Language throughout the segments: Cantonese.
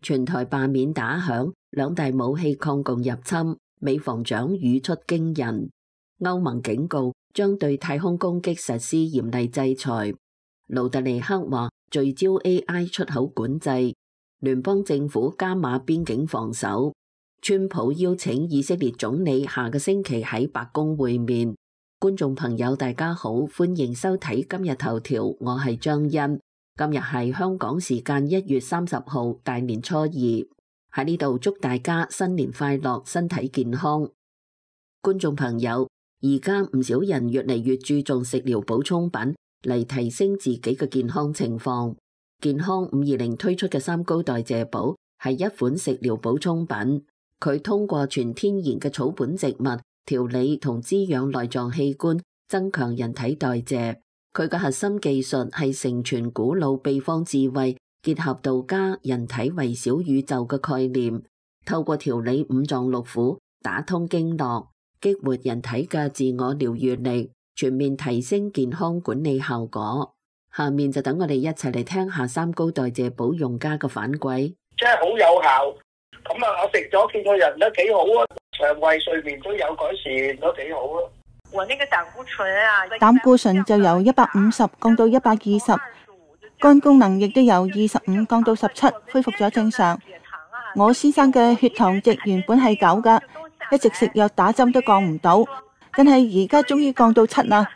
全台罷免打響，兩大武器抗共入侵，美防長語出驚人。歐盟警告將對太空攻擊實施嚴厲制裁。盧特尼克話聚焦 AI 出口管制。聯邦政府加碼邊境防守。川普邀請以色列總理下個星期喺白宮會面。觀眾朋友大家好，歡迎收睇今日頭條，我係張欣。今日係香港時間1月30號大年初二，喺呢度祝大家新年快樂，身體健康。觀眾朋友，而家唔少人越嚟越注重食療補充品嚟提升自己嘅健康情況。健康520推出嘅三高代謝寶係一款食療補充品，佢通過全天然嘅草本植物調理同滋養內臟器官，增強人體代謝。佢嘅核心技術係承傳古老秘方智慧，結合道家人體為小宇宙嘅概念，透過調理五臟六腑，打通經絡，激活人體嘅自我療癒力，全面提升健康管理效果。下面就等我哋一齊嚟聽下三高代謝寶用家嘅反饋。真係好有效，咁啊，我食咗見個人都幾好啊，腸胃睡眠都有改善，都幾好啊。我那個膽固醇就由150降到120，肝功能亦都由25降到17，恢復咗正常。我先生嘅血糖值原本係9噶，一直食藥打針都降唔到，但係而家終於降到7啦。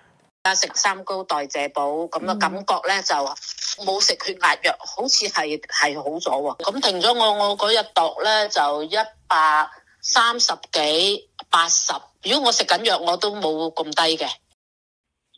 食三高代謝寶咁嘅感覺咧，就冇食血壓藥，好似係好咗喎。咁停咗我嗰日度咧就130幾80。如果我食緊藥，我都冇咁低嘅。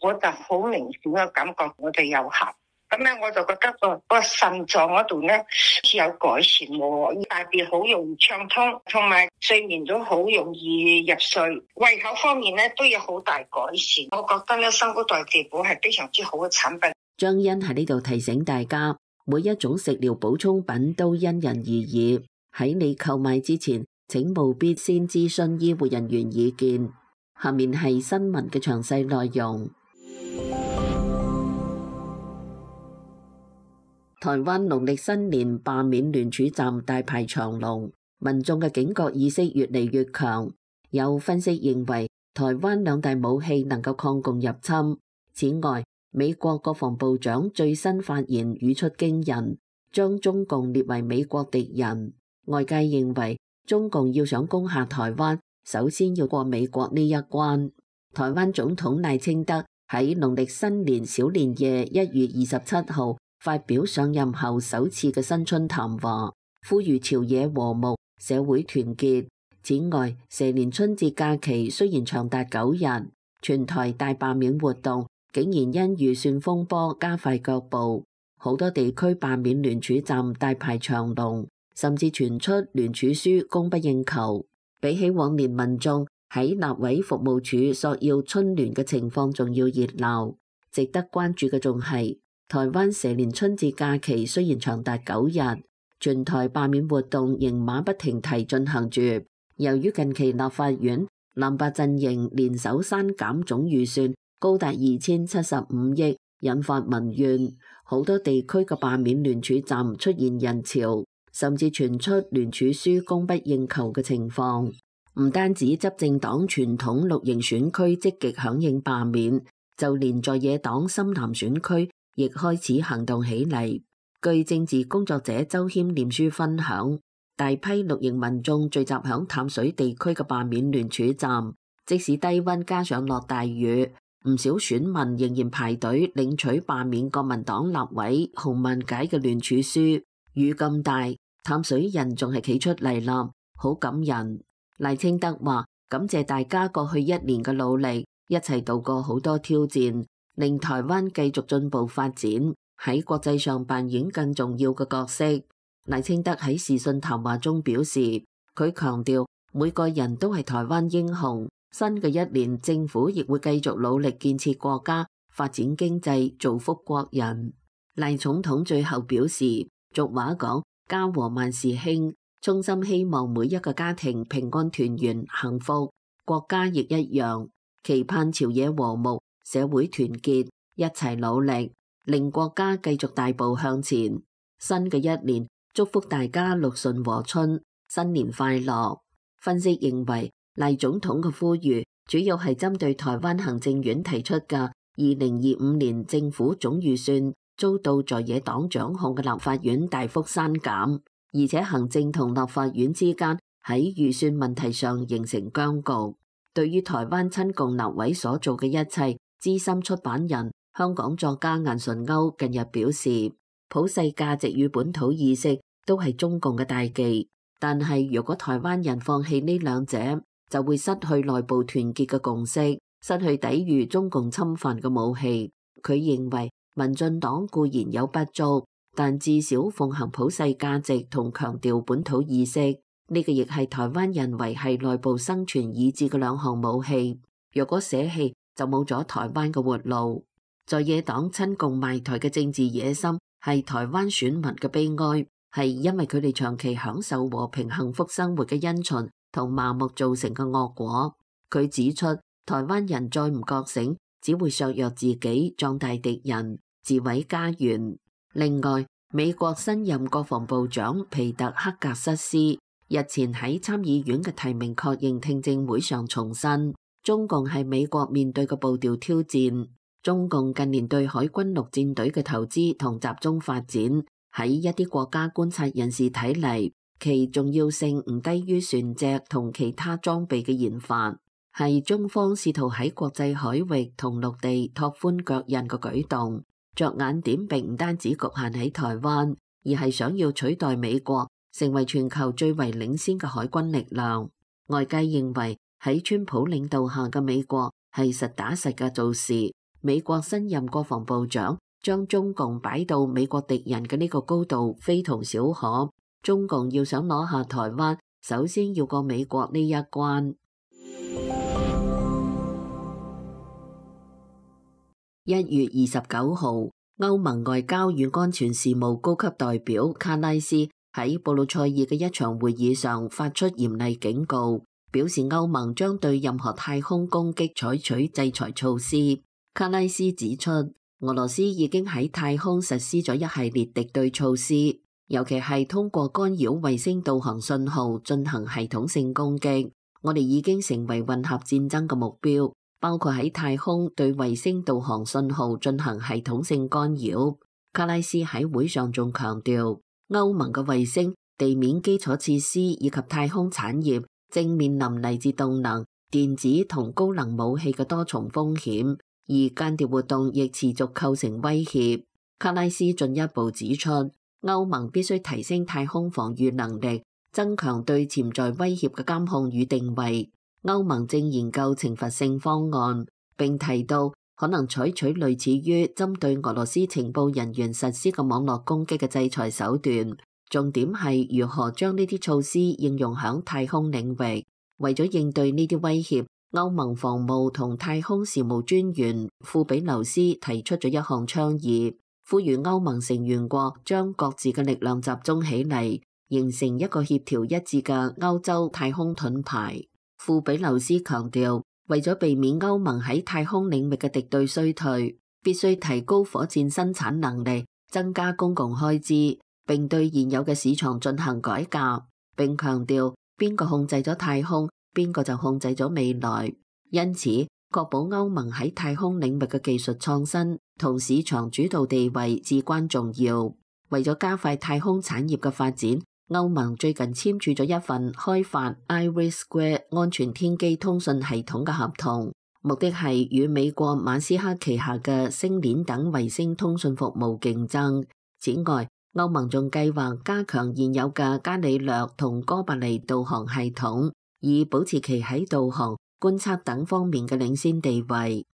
我就好明顯嘅感覺，我哋有效。咁咧，我就覺得個腎臟嗰度咧似有改善喎，大便好容易暢通，同埋睡眠都好容易入睡。胃口方面咧都有好大改善。我覺得咧三高代謝寶係非常之好嘅產品。張欣喺呢度提醒大家，每一種食療補充品都因人而異，喺你購買之前，請務必先諮詢醫護人員意見。下面係新聞嘅詳細內容。台灣農曆新年罷免聯署站大排長龍，民眾嘅警覺意識越嚟越強。有分析認為，台灣兩大武器能夠抗共入侵。此外，美國國防部長最新發言語出驚人，將中共列為美國敵人。外界認為，中共要想攻下台灣，首先要過美國呢一關。台灣總統賴清德喺農曆新年小年夜1月27號發表上任後首次嘅新春談話，呼籲朝野和睦、社會團結。此外，蛇年春節假期雖然長達9日，全台大罷免活動竟然因預算風波加快腳步，好多地區罷免聯署站大排長龍，甚至傳出聯署書供不應求。比起往年民眾喺立委服務處索要春聯嘅情況仲要熱鬧。值得關注嘅仲係，台灣蛇年春節假期雖然長達9日，全台罷免活動仍馬不停蹄進行住。由於近期立法院藍白陣營聯手刪減總預算高達2075億，引發民怨，好多地區嘅罷免聯署站出現人潮，甚至傳出聯署書供不應求嘅情況。唔單止執政黨傳統綠營選區積極響應罷免，就連在野黨深藍選區亦開始行動起嚟。據政治工作者周謙臉書分享，大批綠營民眾聚集響淡水地區嘅罷免聯署站，即使低溫加上落大雨，唔少選民仍然排隊領取罷免國民黨立委洪文解嘅聯署書。雨咁大，淡水人仲係企出嚟啦，好感人。賴清德話感謝大家過去1年嘅努力，一齊度過好多挑戰，令台灣繼續進步發展，喺國際上扮演更重要嘅角色。賴清德喺視訊談話中表示，佢強調每個人都係台灣英雄。新嘅1年，政府亦會繼續努力建設國家、發展經濟、造福國人。賴總統最後表示，俗話講家和萬事興，衷心希望每一個家庭平安團圓幸福，國家亦一樣，期盼朝野和睦、社會團結，一齊努力，令國家繼續大步向前。新嘅1年，祝福大家鹿順和春，新年快樂。分析認為，賴總統嘅呼籲主要係針對台灣行政院提出嘅2025年政府總預算遭到在野黨掌控嘅立法院大幅刪減，而且行政同立法院之間喺預算問題上形成僵局。對於台灣親共立委所做嘅一切，資深出版人香港作家顏純鈎近日表示，普世價值與本土意識都係中共嘅大忌，但係如果台灣人放棄呢兩者，就會失去內部團結嘅共識，失去抵禦中共侵犯嘅武器。佢認為民進黨固然有不足，但至少奉行普世價值同強調本土意識，呢個亦係台灣人維繫內部生存意志嘅兩項武器。若果捨棄，就冇咗台灣嘅活路。在野黨親共賣台嘅政治野心係台灣選民嘅悲哀，係因為佢哋長期享受和平幸福生活嘅因循同麻木造成嘅惡果。佢指出，台灣人再唔覺醒，只會削弱自己，壯大敵人，自毀家園。另外，美國新任國防部長皮特克格瑟斯日前喺參議院嘅提名確認聽證會上重申，中共係美國面對嘅步調挑戰。中共近年對海軍陸戰隊嘅投資同集中發展，喺一啲國家觀察人士睇嚟，其重要性唔低於船隻同其他裝備嘅研發，係中方試圖喺國際海域同陸地拓寬腳印嘅舉動。着眼點並唔單止局限喺台灣，而係想要取代美國，成為全球最為領先嘅海軍力量。外界認為喺川普領導下嘅美國係實打實嘅做事。美國新任國防部長將中共擺到美國敵人嘅呢個高度非同小可。中共要想攞下台灣，首先要過美國呢一關。1月29號，歐盟外交與安全事務高級代表卡拉斯喺布魯塞爾嘅一場會議上發出嚴厲警告，表示歐盟將對任何太空攻擊採取制裁措施。卡拉斯指出，俄羅斯已經喺太空實施咗一系列敵對措施，尤其係通過干擾衛星導航信號進行系統性攻擊。我哋已經成為混合戰爭嘅目標，包括喺太空對衛星導航信號進行系統性干擾。卡拉斯喺會上仲強調，歐盟嘅衛星、地面基礎設施以及太空產業正面臨嚟自動能、電子同高能武器嘅多重風險。而間諜活動亦持續構成威脅。卡拉斯進一步指出，歐盟必須提升太空防禦能力，增強對潛在威脅嘅監控與定位。歐盟正研究懲罰性方案，並提到可能採取類似於針對俄羅斯情報人員實施嘅網絡攻擊嘅制裁手段。重點係如何將呢啲措施應用響太空領域。為咗應對呢啲威脅，歐盟防務同太空事務專員庫比留斯提出咗一項倡議，呼籲歐盟成員國將各自嘅力量集中起嚟，形成一個協調一致嘅歐洲太空盾牌。庫比留斯強調，為咗避免歐盟喺太空領域嘅敵對衰退，必須提高火箭生產能力，增加公共開支，並對現有嘅市場進行改革。並強調，邊個控制咗太空，邊個就控制咗未來，因此確保歐盟喺太空領域嘅技術創新同市場主導地位至關重要。為咗加快太空產業嘅發展，歐盟最近簽署咗一份開發 IRIS² 安全天基通訊系統嘅合同，目的係與美國馬斯克旗下嘅星鏈等衛星通訊服務競爭。此外，歐盟仲計劃加強現有嘅伽利略同哥白尼導航系統，以保持其喺導航、觀測等方面嘅領先地位。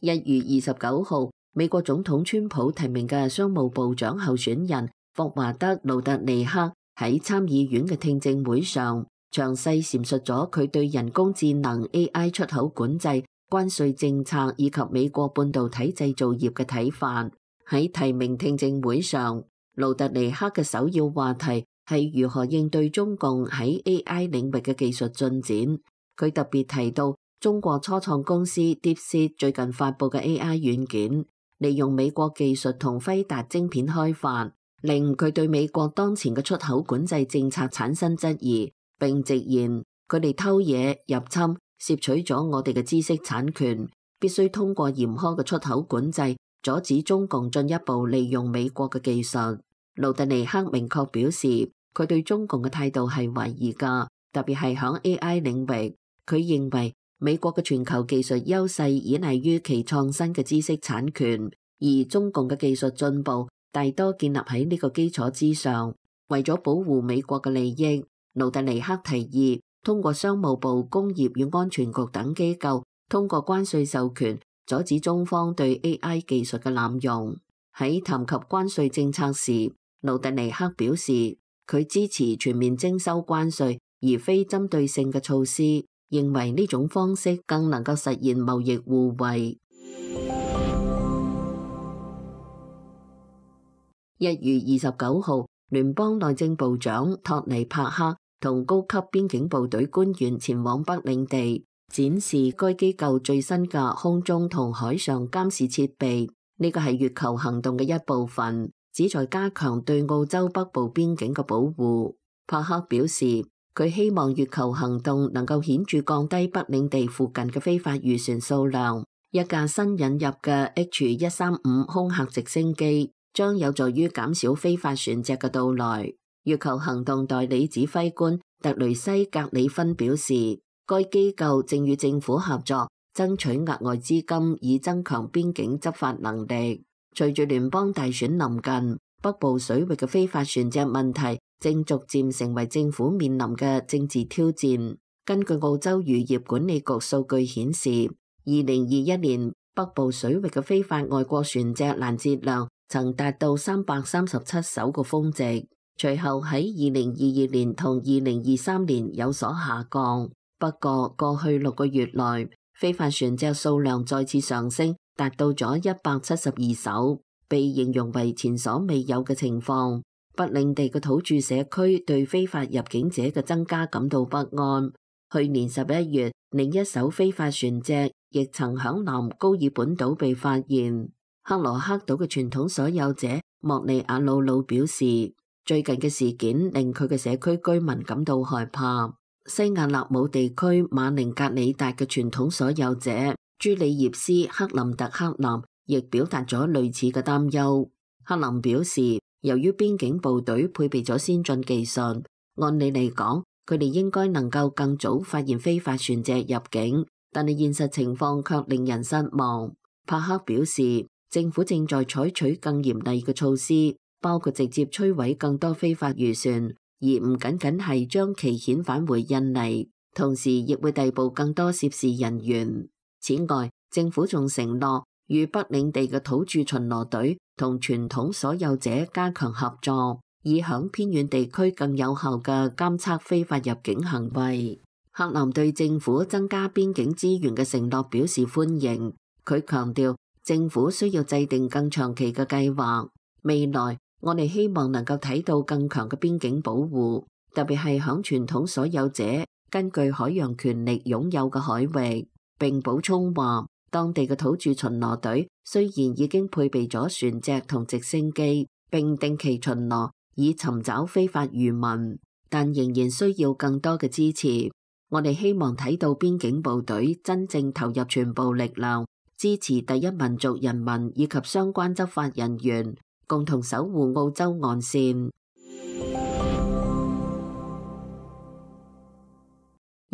1月29號，美國總統川普提名嘅商務部長候選人霍華德·盧特尼克喺參議院嘅聽證會上，詳細闡述咗佢對人工智能 AI 出口管制、關稅政策以及美國半導體製造業嘅睇法。喺提名聽證會上，盧特尼克嘅首要話題係如何應對中共喺 AI 領域嘅技術進展。佢特別提到中國初創公司 DeepSeek 最近發佈嘅 AI 軟件，利用美國技術同輝達晶片開發，令佢對美國當前嘅出口管制政策產生質疑，並直言佢哋偷嘢入侵，竊取咗我哋嘅知識產權，必須通過嚴苛嘅出口管制，阻止中共進一步利用美國嘅技術。盧特尼克明確表示，佢對中共嘅態度係懷疑㗎，特別係響 AI 領域。佢認為美國嘅全球技術優勢依賴於其創新嘅知識產權，而中共嘅技術進步大多建立喺呢個基礎之上。為咗保護美國嘅利益，盧特尼克提議通過商務部、工業與安全局等機構，通過關稅授權阻止中方對 AI 技術嘅濫用。喺談及關稅政策時，盧特尼克表示佢支持全面徵收關稅，而非針對性嘅措施，認為呢種方式更能夠實現貿易互惠。1月29號，聯邦內政部長托尼帕克同高級邊境部隊官員前往北領地，展示該機構最新嘅空中同海上監視設備。呢個係月球行動嘅一部分，旨在加強對澳洲北部邊境嘅保護。帕克表示，佢希望月球行動能夠顯著降低北領地附近嘅非法漁船數量。一架新引入嘅 H135空客直升機將有助於減少非法船隻嘅到來。月球行動代理指揮官特雷西格里芬表示，該機構正與政府合作，爭取額外資金以增強邊境執法能力。隨住聯邦大選臨近，北部水域嘅非法船隻問題正逐漸成為政府面臨嘅政治挑戰。根據澳洲漁業管理局數據顯示，2021年北部水域嘅非法外國船隻攔截量曾達到337艘個峰值，隨後喺2022年同2023年有所下降。不過過去6個月內，非法船隻數量再次上升，達到咗172艘，被形容為前所未有嘅情況。北領地嘅土著社區對非法入境者嘅增加感到不安。去年11月，另一艘非法船隻亦曾響南高爾本島被發現。克羅克島嘅傳統所有者莫利亞魯魯表示，最近嘅事件令佢嘅社區居民感到害怕。西亞納姆地區馬寧格里達嘅傳統所有者朱里葉斯克林特克林亦表達咗類似嘅擔憂。克林表示，由於邊境部隊配備咗先進技術，按理嚟講，佢哋應該能夠更早發現非法船隻入境，但係現實情況卻令人失望。帕克表示，政府正在採取更嚴厲嘅措施，包括直接摧毀更多非法漁船，而唔僅僅係將其遣返回印尼，同時亦會逮捕更多涉事人員。此外，政府仲承諾與北領地嘅土著巡邏隊同傳統所有者加強合作，以響偏遠地區更有效嘅監測非法入境行為。克林對政府增加邊境資源嘅承諾表示歡迎。佢強調，政府需要制定更長期嘅計劃。未來，我哋希望能夠睇到更強嘅邊境保護，特別係響傳統所有者根據海洋權力擁有嘅海域。並補充話，當地嘅土著巡邏隊雖然已經配備咗船隻同直升機，並定期巡邏以尋找非法漁民，但仍然需要更多嘅支持。我哋希望睇到邊境部隊真正投入全部力量，支持第一民族人民以及相關執法人員，共同守護澳洲岸線。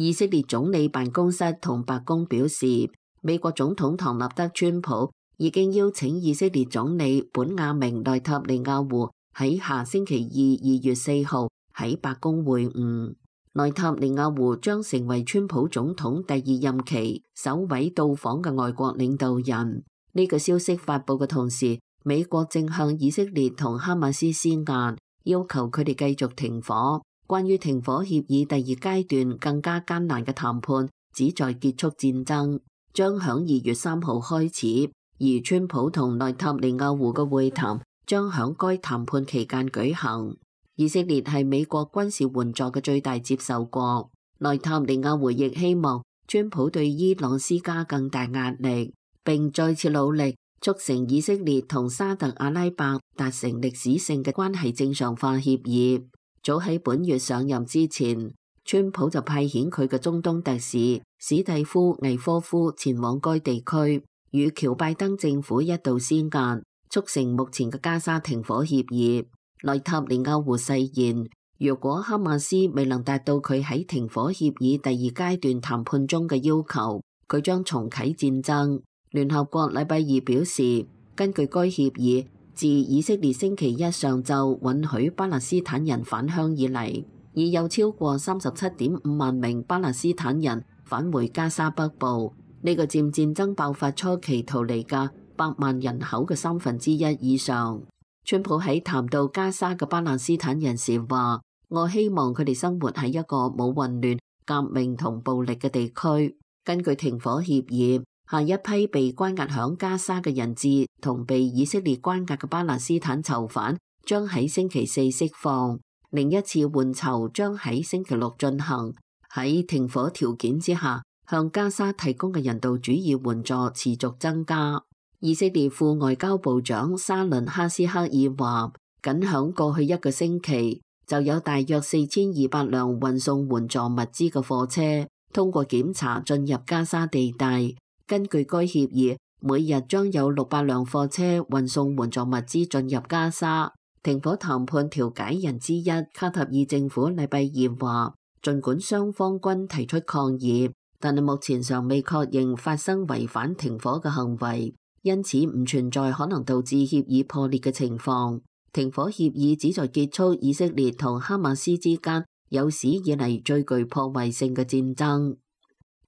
以色列總理辦公室同白宮表示，美國總統唐納德川普已經邀請以色列總理本雅明內塔尼亞胡喺下星期2月4號喺白宮會晤。內塔尼亞胡將成為川普總統第2任期首位到訪嘅外國領導人。呢個消息發佈嘅同時，美國正向以色列同哈馬斯施壓，要求佢哋繼續停火。關於停火協議第2階段更加艱難嘅談判，旨在結束戰爭，將響2月3號開始，而川普同內塔尼亞胡嘅會談將響該談判期間舉行。以色列係美國軍事援助嘅最大接受國，內塔尼亞胡亦希望川普對伊朗施加更大壓力，並再次努力促成以色列同沙特阿拉伯達成歷史性嘅關係正常化協議。早喺本月上任之前，川普就派遣佢嘅中東特使史蒂夫·魏科夫前往該地區，與喬拜登政府一道施壓，促成目前嘅加沙停火協議。內塔尼亞胡誓言，如果哈馬斯未能達到佢喺停火協議第二階段談判中嘅要求，佢將重啟戰爭。聯合國禮拜二表示，根據該協議，自以色列星期一上晝允許巴勒斯坦人返鄉以嚟，已有超過37.5萬名巴勒斯坦人返回加沙北部，呢個佔戰爭爆發初期逃離嘅100萬人口嘅1/3以上。川普喺談到加沙嘅巴勒斯坦人時話，我希望佢哋生活喺一個冇混亂、革命同暴力嘅地區。根據停火協議，下一批被關押響加沙嘅人質同被以色列關押嘅巴勒斯坦囚犯將喺星期四釋放，另一次換囚將喺星期六進行。喺停火條件之下，向加沙提供嘅人道主義援助持續增加。以色列副外交部長沙倫哈斯克爾話，僅響過去一個星期就有大約4200輛運送援助物資嘅貨車通過檢查進入加沙地帶。根據該協議，每日將有600輛貨車運送援助物資進入加沙。停火談判調解人之一卡塔爾政府禮拜二話，儘管雙方均提出抗議，但係目前尚未確認發生違反停火嘅行為，因此唔存在可能導致協議破裂嘅情況。停火協議旨在結束以色列同哈馬斯之間有史以嚟最具破壞性嘅戰爭。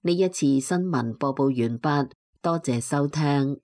呢一次新聞播報完畢，多謝收聽。